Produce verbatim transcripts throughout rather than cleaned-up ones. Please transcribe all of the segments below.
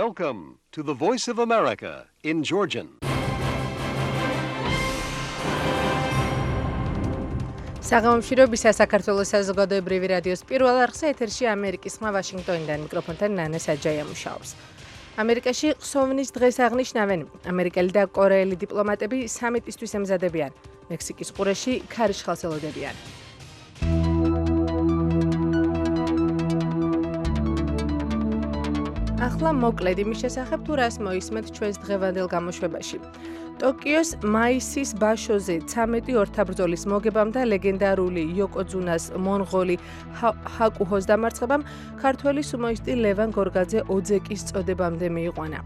Welcome to the Voice of America in Georgian. საღამომშვიდობისა საქართველოს საზოგადოებრივი რადიოს პირველ არხზე ეთერში ამერიკის ხმა ვაშინგტონიდან მიკროფონთან ნანა საჯაია მუშაობს. ამერიკაში ხსოვნის დღეს აღნიშნავენ. ამერიკელი და კორეელი დიპლომატები სამიტისთვის ემზადებიან. მექსიკის ყურეში ქარიშხალს ელოდებიან. ახლა მოკლედ იმის შესახებ თუ რას მოისმენთ ჩვენს დღევანდელ გამოშვებაში. ტოკიოს მაისის ბაშოზე ცამეტი ორთაბრძოლის მოგებამ და ლეგენდარული იოკოძუნას მონღოლი ჰაკუჰოს დამარცხებამ ქართველი სუმოისტი ლევან გორგაძე ოძეკის წოდებამდე მიიყვანა.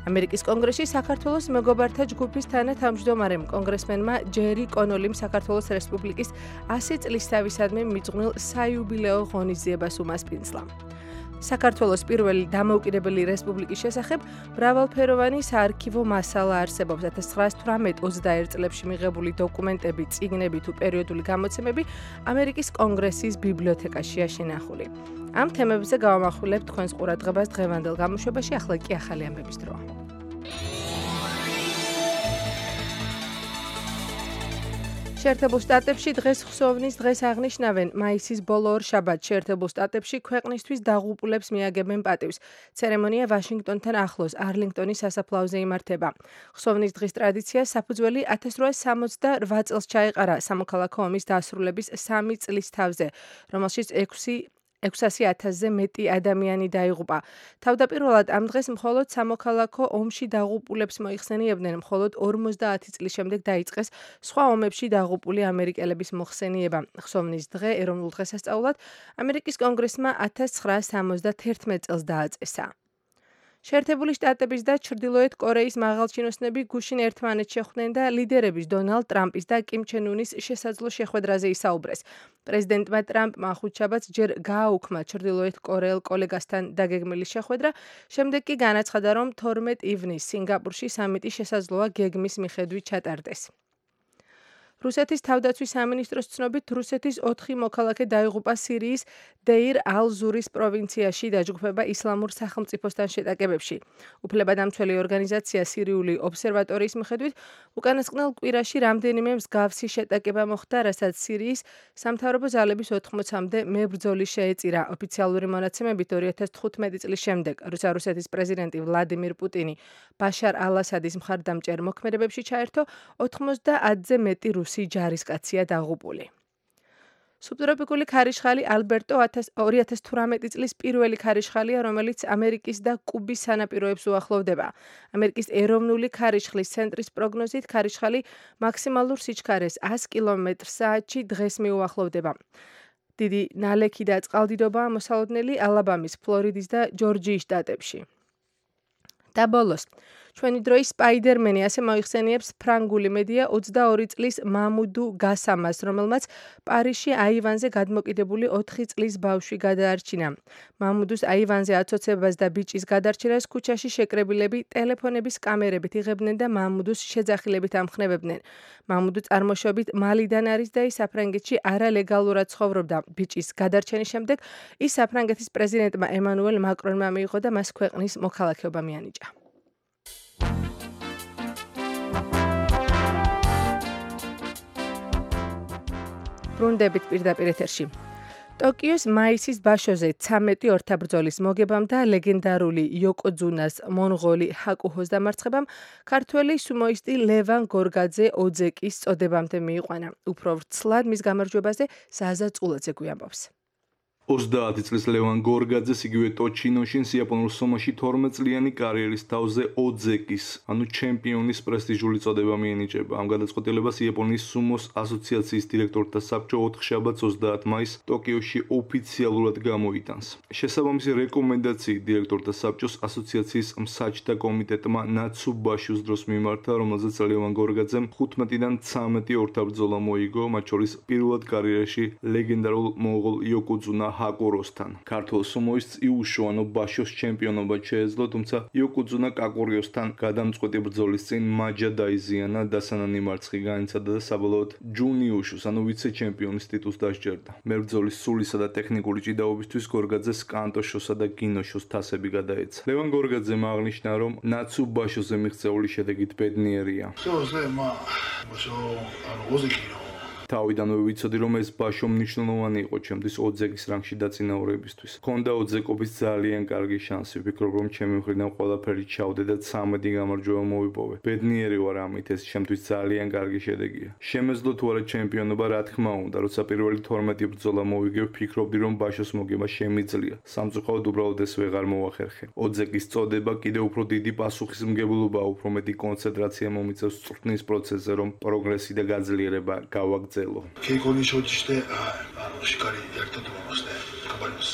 ამერიკის კონგრესში საქართველოს მეგობართა ჯგუფის თანათავმჯდომარემ კონგრესმენმა ჯერი კონოლიმ საქართველოს რესპუბლიკის ასი წლისთავისადმი მიძღვნილ საიუბილეო ღონისძიებას უმასპინძლა. საქართველოს პირველი დამოუკიდებელი რესპუბლიკის შესახებ მრავალფეროვანი საარქივო მასალა არსებობს. ათას ცხრაასი თვრამეტ ოცდაერთ წლებში მიღებული დოკუმენტები, წიგნები თუ პერიოდული გამოცემები ამერიკის კონგრესის ბიბლიოთეკაშია შენახული. ამ თემებზე გავამახვილებთ თქვენს ყურადღებას დღევანდელ გამოშვებაში, ახლა კი ახალი ამბების დროა. შეერთებულ შტატებში დღეს ხსოვნის დღეს აღნიშნავენ. მაისის ბოლო ორ შაბათს შეერთებულ შტატებში ქვეყნისთვის დაღუპულებს მიაგებენ პატივს. ცერემონია ვაშინგტონთან ახლოს არლინგტონის სასაფლაოზე იმართება. ხსოვნის დღის ტრადიცია საფუძველი ათას რვაასი სამოცდარვა წელს ჩაეყარა სამოქალაქო ომის დასრულების სამი წლის თავზე, რომელშიც ექვსასი ათასზე მეტი ადამიანი დაიღუპა. თავდაპირველად ამ დღეს მხოლოდ სამოქალაქო ომში დაღუპულებს მოიხსენიებდნენ, მხოლოდ ორმოცდაათი წლის შემდეგ დაიწყეს სხვა ომებში დაღუპული ამერიკელების მოხსენება. ხსოვნის დღე ეროვნულ დღესასწაულად ამერიკის კონგრესმა ათას ცხრაასი სამოცდათერთმეტ წელს დააწესა. შეერთებული შტატების და ჩრდილოეთ კორეის მაღალჩინოსნები გუშინ ერთმანეთს შეხვდნენ და ლიდერების დონალდ ტრამპის და კიმ ჩენ უნის შესაძლო შეხვედრაზე ისაუბრეს. პრეზიდენტმა ტრამპმა ხუთშაბათს ჯერ გააუქმა ჩრდილოეთ კორეელ კოლეგასთან დაგეგმილი შეხვედრა, შემდეგ კი განაცხადა, რომ თორმეტ ივნისს სინგაპურში სამიტი შესაძლოა გეგმის მიხედვით ჩატარდეს. რუსეთის თავდაცვის სამინისტროს ცნობით, რუსეთის ოთხი მოქალაქე დაიღუპა სირიის დეირ ალ-ზურის პროვინციაში დაჯგუფება ისლამურ სახელმწიფოსთან შეტაკებებში. უფლებადამცველი ორგანიზაცია სირიული ობსერვატორიის მიხედვით, უკანასკნელ კვირაში რამდენიმე მსგავსი შეტაკება მოხდა, რასაც სირიის სამთავრობო ძალების ოთხმოცამდე მებრძოლი შეეწირა. ოფიციალური მონაცემებით ორი ათას თხუთმეტი წლის შემდეგ, როცა რუსეთის პრეზიდენტი ვლადიმირ პუტინი ბაშარ ალ-ასადის მხარდამჭერ მოქმედებებში ჩაერთო, ოთხმოცდაათზე მეტი რუსი ჯარისკაცია დაღუპული. სუბტროპიკული ქარიშხალი ალბერტო ორი ათას თვრამეტი წლის პირველი ქარიშხალია, რომელიც ამერიკის და კუბის სანაპიროებს უახლოვდება. ამერიკის ეროვნული ქარიშხლის ცენტრის პროგნოზით ქარიშხალი მაქსიმალურ სიჩქარეს ას კილომეტრ საათში დღეს მიუახლოვდება. დიდი ნალექი და წყალდიდობაა მოსალოდნელი ალაბამის, ფლორიდის და ჯორჯიის შტატებში. და ბოლოს, ჩვენი დროის სპაიდერმენი, ასე მოიხსენიებს ფრანგული მედია ოცდაორი წლის მამუდუ გასამას, რომელმაც პარიზში აივანზე გადმოკიდებული ოთხი წლის ბავშვი გადაარჩინა. მამუდუს აივანზე აცოცებას და ბიჭის გადარჩენას ქუჩაში შეკრებილები ტელეფონების კამერებით იღებდნენ და მამუდუს შეძახილებით ამხნევებდნენ. მამუდუ წარმოშობით მალიდან არის და ის საფრანგეთში არალეგალურად ცხოვრობდა. ბიჭის გადარჩენის შემდეგ ის საფრანგეთის პრეზიდენტმა ემანუელ მაკრონმა მიიღო და მას ქვეყნის მოქალაქეობა მიანიჭა. ბრუნდებით პირდაპირ ეთერში. ტოკიოს მაისის ბაშოზე ცამეტი ორთაბრძოლის მოგებამ და ლეგენდარული იოკოძუნას მონღოლი ჰაკუჰოს დამარცხებამ ქართველი სუმოისტი ლევან გორგაძე ოძეკის წოდებამდე მიიყვანა. უფრო ვრცლად მის გამარჯვებაზე ზაზა წულაძე გვიამბობს. ოცდაათი წლის ლევან გორგაძეს იგივე ტოჩინოშინ იაპონურ სომოში თორმეტწლიანი კარიერის თავზე ოძეკის, ანუ ჩემპიონის პრესტიჟული წოდება მიენიჭება. ამ გადაწყვეტილებას იაპონიის სუმოს ასოციაციის დირექტორთა საბჭო ოთხშაბათს ოცდაათი მაისს ტოკიოში ოფიციალურად გამოიტანს. შესაბამისი რეკომენდაციით დირექტორთა საბჭოს ასოციაციის მსაჯთა კომიტეტმა ნაცუბაშუს დროს მიმართა, რომელზეც ლევან გორგაძემ ხუთმეტიდან ცამეტი ორთაბრძოლა მოიგო, მათ შორის პირველად კარიერაში ლეგენდარულ მონღოლ იოკოძუნა ჰაკო როსთან. ქართულ სუმოის იუშუანო ბაშოს ჩემპიონობა შეეძლო, თუმცა იოკუძუნა კაკურიოსთან გადამწყვეტი ბრძოლის წინ მაჯა დაიზიანა, დასანანი მარცხი განიცადა და საბოლოოდ ჯუნიუშუს, ანუ ვიცე-ჩემპიონის ტიტულს დასჯერდა. მებრძოლის სულისა და ტექნიკური ჭიდაობისთვის გორგაძეს კანტოშოსა და გინოშოს თასები გადაეცა. ლევან გორგაძემ აღნიშნა, რომ ნაცუ ბაშოზე მიღწეული შედეგით ბედნიერია. თავიდანვე ვიცოდი, რომ ეს ბაშო მნიშვნელოვანი იყო ჩემთვის ოძეგის რანგში დაწინაურებისთვის. მქონდა ოძეკობის ძალიან კარგი შანსი, ვფიქრობ, რომ ჩემი მხრიდან ყველაფერი ჩავდე და ცამეტი გამარჯვება მოვიპოვე. ბედნიერი ვარ ამით, ეს ჩემთვის ძალიან კარგი შედეგია. შემეძლო თუ არა ჩემპიონობა, რა თქმა უნდა, როცა პირველი თორმეტი ბრძოლა მოვიგე, ვფიქრობდი, რომ ბაშოს მოგება შემიძლია. სამწუხაროდ უბრალოდ ეს ვეღარ მოახერხე. ოძეგის წოდება კიდევ უფრო დიდი პასუხისმგებლობაა, უფრო მეტი კონცენტრაცია მომიწევს წვრთნის პროცესზე, რომ პროგრესი და გაძლიერება გავაგრძელო. Keikoni შოჯიშტე ანუ შიკარი ერთად მომხდე კაბალოს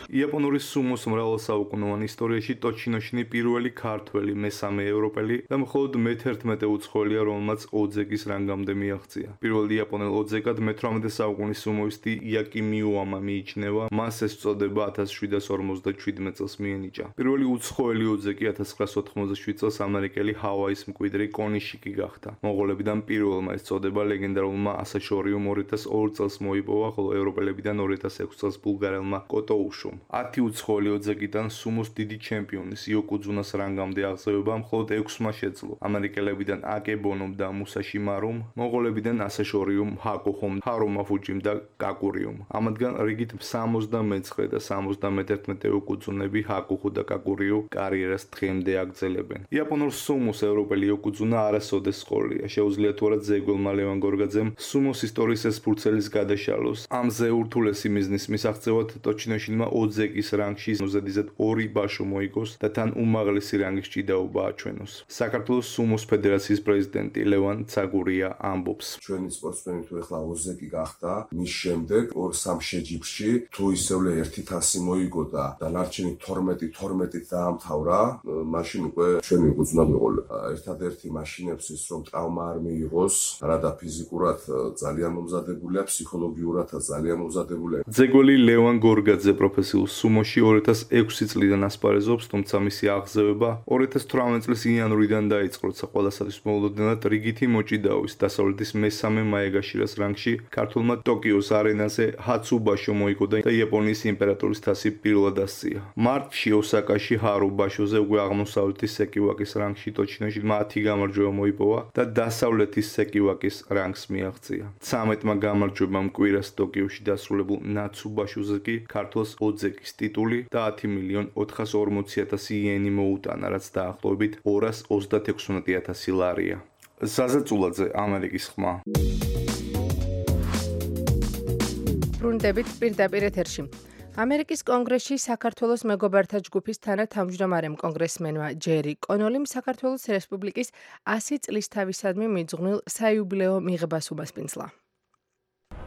იაპონური სუმოს მრავალსაუკუნოვან ისტორიაში ტოჩინოშინი პირველი ქართველი, მესამე ევროპელი და მხოლოდ მეთერთმეტე უცხოელია, რომელმაც ოძეგის რანგამდე მიაღწია. პირველი იაპონელ ოძეგად მეთვრამეტე საუკუნის სუმოისტი იაკი მიუამა მიიჩნევა, მას ეს წოდება ათას შვიდას ორმოცდაშვიდმეტ წელს მიენიჭა. პირველი უცხოელი ოძეგი ათას ცხრაას ოთხმოცდაშვიდ წელს ამერიკელი ჰავაის მკვიდრი კონიშიკი გახდა. მონღოლებიდან პირველმა ეს წოდება ლეგენდარულმა ასაშორიუმ ორი ათას ორ წელს მოიპოვა, ხოლო ევროპელებიდან ორი ათას ექვსი წელს ბულგარელმა კოტოუშუმ. ათი უცხოელი ოძეგიდან სუმოს დიდი ჩემპიონის იოკუძუნას რანგამდე აღზევება მხოლოდ ექვსმა შეძლო. ამერიკელებიდან აკებონომ და მუსაში მარუმ, მონღოლებიდან ასაშორიუმ ჰაკოხომ, ჰარომა ფუჯიმ და კაკურიუმ. ამათგან რიგით სამოცდამეცხრე და სამოცდამეთერთმეტე იოკუძუნები ჰაკოხუ და კაკურიუ კარიერას დღემდე აგრძელებენ. იაპონურ სუმოს ევროპელი იოკუძუნა არასოდეს ყოლია. შეუძლია თუ არა ძეგველმა ლევან გორგაძემ სუმოს ისტორიის ეს ფურცელის გადაშალოს. ამზე ურთულესი მიზნის მისაღწევად ტოჩინოშინმა ოძეგის რანგში ზედიზედ ორი ბაშო მოიგოს და თან უმაღლესი რანგის ჭიდაობა აჩვენოს. საქართველოს სუმოს ფედერაციის პრეზიდენტი ლევან ცაგურია ამბობს. ჩვენი სპორტსმენი თუ ეხლა ოძეგი გახდა, მის შემდეგ ორ სამ შეჯიბრში თუ ისევლე ერთი თასი მოიგო და დანარჩენი თორმეტი თორმეტით დაამთავრა, მაშინ უკვე ჩვენი უძნა ვიყოლე. ერთადერთი მაშინებსის რომ ტრავმა არ მიიღოს, რადა ფიზიკურად ძალიან მომზადებულია, ფსიქოლოგიურადაც ძალიან მომზადებულია. ძეგველი ლევან გორგაძე პროფესიულ სუმოში ორი ათას ექვსი წლიდან ასპარეზობს, თუმცა მისი აღზევება ორი ათას თვრამეტ წლის იანვრიდან დაიწყო, როცა ყველასათვის მოულოდნელად რიგითი მოჭიდაობის დასავლეთის მესამე მაეგაშირას რანგში ქართულმა ტოკიოს არენაზე ჰაცუ ბაშო მოიგო და იაპონიის იმპერატორის თასი პირველად ასწია. მარტში ოსაკაში ჰარუ ბაშოზე უკვე აღმოსავლეთის სეკივაკის რანგში ტოჩინოშინმა ათი გამარჯვება მოიპოვა და დასავლეთის სეკივაკის რანგს მიაღწია. ცამეტმა გამარჯვებამ კვირას ტოკიოში დასრულებულ ნაცუ ბაშოზე კი ქართულს ოძეგის ტიტული და ათი მილიონ ოთხას ორმოცი ათასი იენი მოუტანა, რაც დაახლოებით ორას ოცდაექვსმეტი ათასი ლარია. საზეწულაძე, ამერიკის ხმა. ბრუნდებით პირდაპირ ეთერში. ამერიკის კონგრესში საქართველოს მეგობართა ჯგუფის თანათავმჯდომარემ კონგრესმენმა ჯერი კონოლიმ საქართველოს რესპუბლიკის ასი წლისთავისადმი მიძღვნილ საიუბილეო მიღებას უმასპინძლა.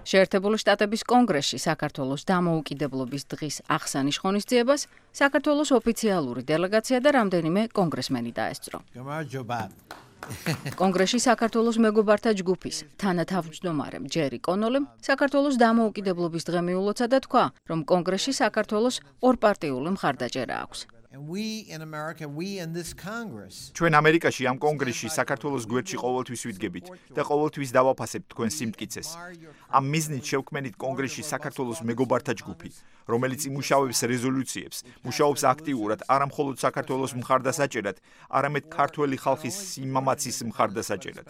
შეერთებული შტატების კონგრესში საქართველოს დამოუკიდებლობის დღის აღსანიშ ღონისძიებას საქართველოს ოფიციალური დელეგაცია და რამდენიმე კონგრესმენი დაესწრო. კონგრესში საქართველოს მეგობართა ჯგუფის თანათავმჯდომარემ ჯერი კონოლიმ საქართველოს დამოუკიდებლობის დღე მიულოცა და თქვა, რომ კონგრესში საქართველოს ორპარტიული მხარდაჭერა აქვს. ჩვენ ამერიკაში ამ კონგრესში საქართველოს გვერდში ყოველთვის ვიდგებით და ყოველთვის დავაფასებთ თქვენ სიმტკიცეს. ამ მიზნით შევქმნით კონგრესში საქართველოს მეგობართა ჯგუფი, რომელიც იმუშავებს რეზოლუციებს, მუშაობს აქტიურად არა მხოლოდ საქართველოს მხარდასაჭერად, არამედ ქართველი ხალხის სიმამაცის მხარდასაჭერად.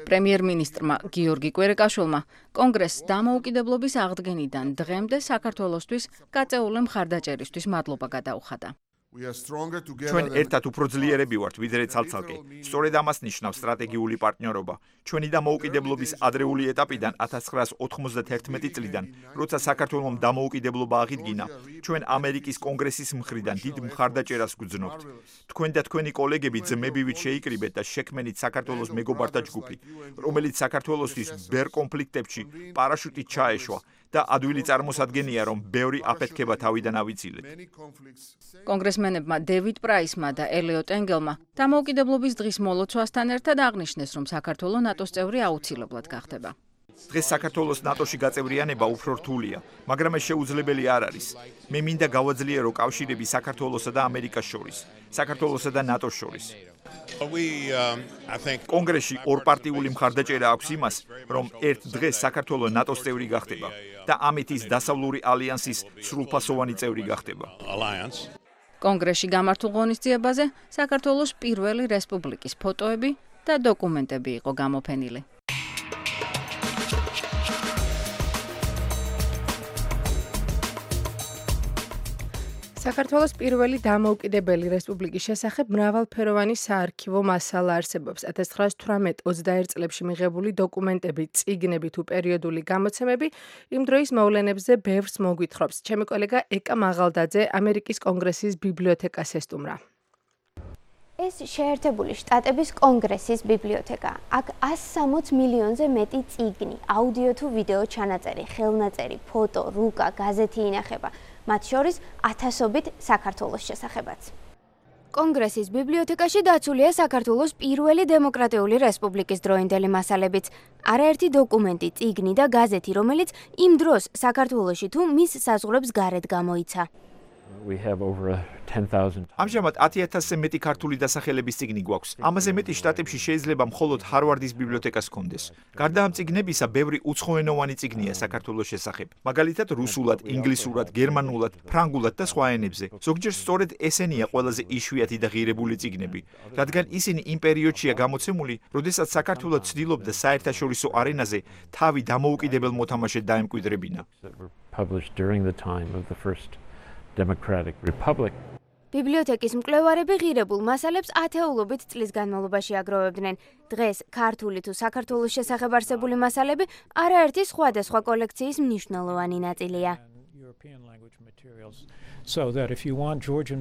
პრემიერ-მინისტრმა გიორგი კვერეკაშვილმა კონგრესს დამოუკიდებლობის აღდგენიდან დღემდე საქართველოსთვის გაწეული მხარდაჭერისთვის მადლობა გადაუხადა. ჩვენ ერთად უფრო ძლიერები ვართ, ვიდრე ცალ-ცალკე. სწორედ ამას ნიშნავს სტრატეგიული პარტნიორობა. ჩვენი დამოუკიდებლობის ადრეული ეტაპიდან ათას ცხრაას ოთხმოცდაერთმეტი წლიდან, როცა საქართველომ დამოუკიდებლობა აღიდგინა, ჩვენ ამერიკის კონგრესის მხრიდან დიდ მხარდაჭერას გვგზნობთ. თქვენ და თქვენი კოლეგები ძმებივით შეიკრიბეთ და შექმნით საქართველოს მეგობართა ჯგუფი, რომელიც საქართველოსთვის ბერ კონფლიქტებში პარაშუტით ჩაეშვა. და ადვილი წარმოსადგენია, რომ ბევრი აფეთქება თავიდან ავიცილეთ. კონგრესმენებმა დევიდ პრაისმა და ელიოტ ენგელმა დამოუკიდებლობის დღის მოლოცვასთან ერთად აღნიშნეს, რომ საქართველო ნატოს წევრი აუცილებლად გახდება. დღეს საქართველოს ნატოში გაწევრიანება უფრო რთულია, მაგრამ ეს შეუძლებელი არ არის. მე მინდა გავაძლიერო კავშირები საქართველოსა და ამერიკას შორის, საქართველოსა და ნატოს შორის. კონგრესში ორპარტიული მხარდაჭერა აქვს იმას, რომ ერთ დღეს საქართველო ნატოს წევრი გახდება და ამით ის დასავლური ალიანსის სრულფასოვანი წევრი გახდება. კონგრესში გამართულ ღონისძიებაზე საქართველოს პირველი რესპუბლიკის ფოტოები და დოკუმენტები იყო გამოფენილი. საქართველოს პირველი დამოუკიდებელი რესპუბლიკის შესახებ მრავალფეროვანი საარქივო მასალა არსებობს. ათას ცხრაას თვრამეტ ოცდაერთ წლებში მიღებული დოკუმენტები, წიგნები თუ პერიოდული გამოცემები იმ დროის მოვლენებზე ბევრს მოგვითხრობს. ჩემი კოლეგა ეკა მაღალდაძე ამერიკის კონგრესის ბიბლიოთეკას ესტუმრა. ეს შეერთებული შტატების კონგრესის ბიბლიოთეკა. აქ ას სამოც მილიონზე მეტი წიგნი, აუდიო თუ ვიდეო ჩანაწერი, ხელნაწერი, ფოტო, რუკა, გაზეთი ინახება. მათ შორის ათასობით საქართველოს შესახებაც. კონგრესის ბიბლიოთეკაში დაცულია საქართველოს პირველი დემოკრატიული რესპუბლიკის დროინდელი მასალებიც. არაერთი დოკუმენტი, წიგნი და გაზეთი, რომელიც იმ დროს საქართველოში თუ მის საზღვრებს გარეთ გამოიცა. ამჟამად ათი ათასზე მეტი ქართული დასახელების წიგნი გვაქვს. ამაზე მეტი შტატებში შეიძლება მხოლოდ ჰარვარდის ბიბლიოთეკას ჰქონდეს. გარდა ამ წიგნებისა, ბევრი უცხოენოვანი წიგნია საქართველოს შესახებ. მაგალითად, რუსულად, ინგლისურად, გერმანულად, ფრანგულად და სხვა ენებზე. ზოგჯერ სწორედ ესენია ყველაზე იშვიათი და ღირებული წიგნები, რადგან ისინი იმ პერიოდშია გამოცემული, როდესაც საქართველო ცდილობდა საერთაშორისო არენაზე თავი დამოუკიდებელ მოთამაშედ დაემკვიდრებინა. Democratic Republic. ბიბლიოთეკის მკვლევარები ღირებულ მასალებს ათეულობით წლის განმავლობაში აგროვებდნენ. დღეს ქართული თუ საქართველოს შესახებ არსებული მასალები არაერთი სხვადასხვა კოლექციის მნიშვნელოვანი ნაწილია.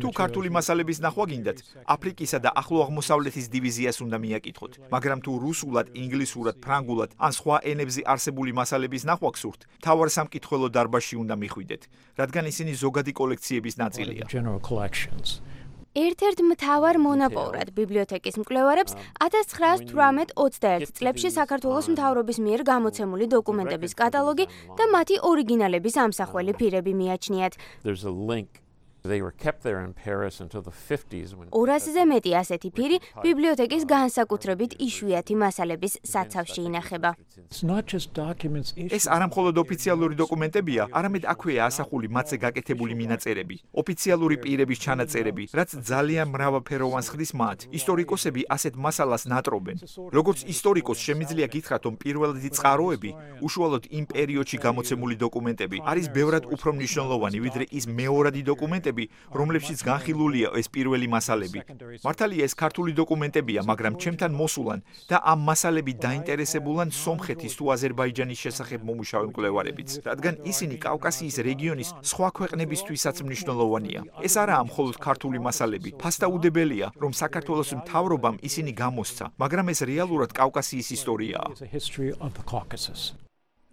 თუ ქართული მასალების ნახვა გინდათ, აფრიკისა და ახლო აღმოსავლეთის დივიზიას უნდა მიაკითხოთ, მაგრამ თუ რუსულად, ინგლისურად, ფრანგულად ან სხვა ენებზე არსებული მასალების ნახვა გსურთ, მთავარ სამკითხველო დარბაზში უნდა მიხვიდეთ, რადგან ისინი ზოგადი კოლექციების ნაწილია. ერთ-ერთ მთავარ მონაპოვრად ბიბლიოთეკის მკვლევარებს ათას ცხრაას თვრამეტ ოცდაერთ წლებში საქართველოს მთავრობის მიერ გამოცემული დოკუმენტების კატალოგი და მათი ორიგინალების ამსახველი ფირები მიაჩნიათ. ორასზე მეტი ასეთი ფირი ბიბლიოთეკის განსაკუთრებით იშვიათი მასალების საცავში ინახება. ეს არამხოლოდ ოფიციალური დოკუმენტებია, არამედ აქვეა ასახული მათზე გაკეთებული მინაწერები, ოფიციალური პირების ჩანაწერები, რაც ძალიან მრავალფეროვანს ხდის მათ. ისტორიკოსები ასეთ მასალას ნატრობენ. როგორც ისტორიკოს შემიძლია გითხრათ, რომ პირველადი წყაროები, უშუალოდ იმ პერიოდში გამოცემული დოკუმენტები, არის ბევრად უფრო მნიშვნელოვანი, ვიდრე ის მეორადი დოკუმენტები, რომლებშიც განხილულია ეს პირველი მასალები. მართალია ეს ქართული დოკუმენტებია, მაგრამ ჩემთან მოსულან და ამ მასალებით დაინტერესებულან სომხეთის თუ აზერბაიჯანის შესახებ მომუშავე მკვლევარებიც, რადგან ისინი კავკასიის რეგიონის სხვა ქვეყნებისთვისაც მნიშვნელოვანია. ეს არაა მხოლოდ ქართული მასალები. ფასდაუდებელია, რომ საქართველოს მთავრობამ ისინი გამოსცა, მაგრამ ეს რეალურად კავკასიის ისტორიაა.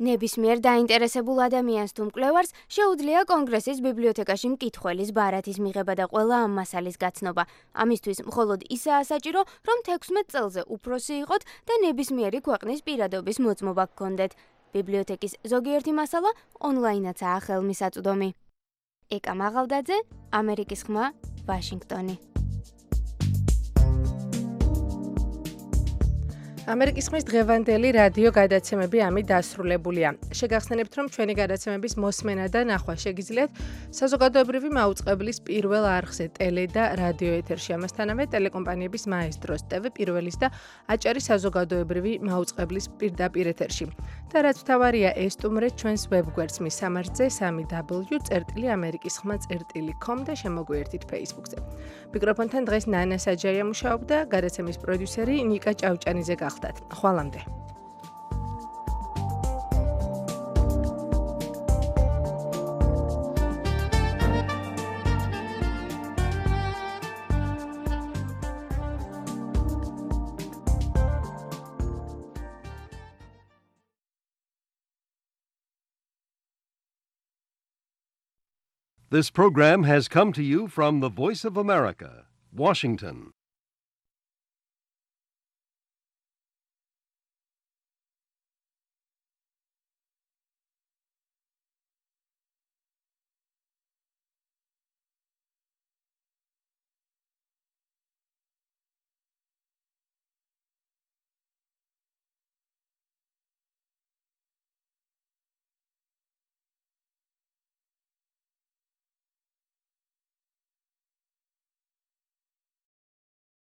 ნებისმიერ დაინტერესებულ ადამიანს თუ მკვლევარს შეუძლია კონგრესის ბიბლიოთეკაში მკითხველის ბარათის მიღება და ყველა ამ მასალის გაცნობა. ამისთვის მხოლოდ ისაა საჭირო, რომ თექვსმეტ წელზე უფროსი იყოთ და ნებისმიერი ქვეყნის პირადობის მოწმობა გქონდეთ. ბიბლიოთეკის ზოგიერთი მასალა ონლაინაცაა ხელმისაწვდომი. ეკა მაღალდაძე, ამერიკის ხმა, ვაშინგტონი. ამერიკის ხმის დღევანდელი რადიო გადაცემები ამით დასრულებულია. შეგახსენებთ, რომ ჩვენი გადაცემების მოსმენა და ნახვა შეგიძლიათ საზოგადოებრივი მაუწყებლის პირველ არხზე ტელე და რადიო ეთერში. ამასთანავე ტელეკომპანიების მაესტროს, ტევ პირველის და აჭარის საზოგადოებრივი მაუწყებლის პირდაპირ ეთერში. და რაც მთავარია, ესტუმრეთ ჩვენს ვებგვერდს მის სამართზე სამი დაბლიუ წერტილი ამერიკის ხმა წერტილი com და შემოგვიერთით Facebook-ზე. მიკროფონთან დღეს ნანა საჯაია მუშაობდა, გადაცემის პროდიუსერი ნიკა ჭავჭანიძე გახლდათ. ხვალამდე. This program has come to you from the Voice of America, Washington.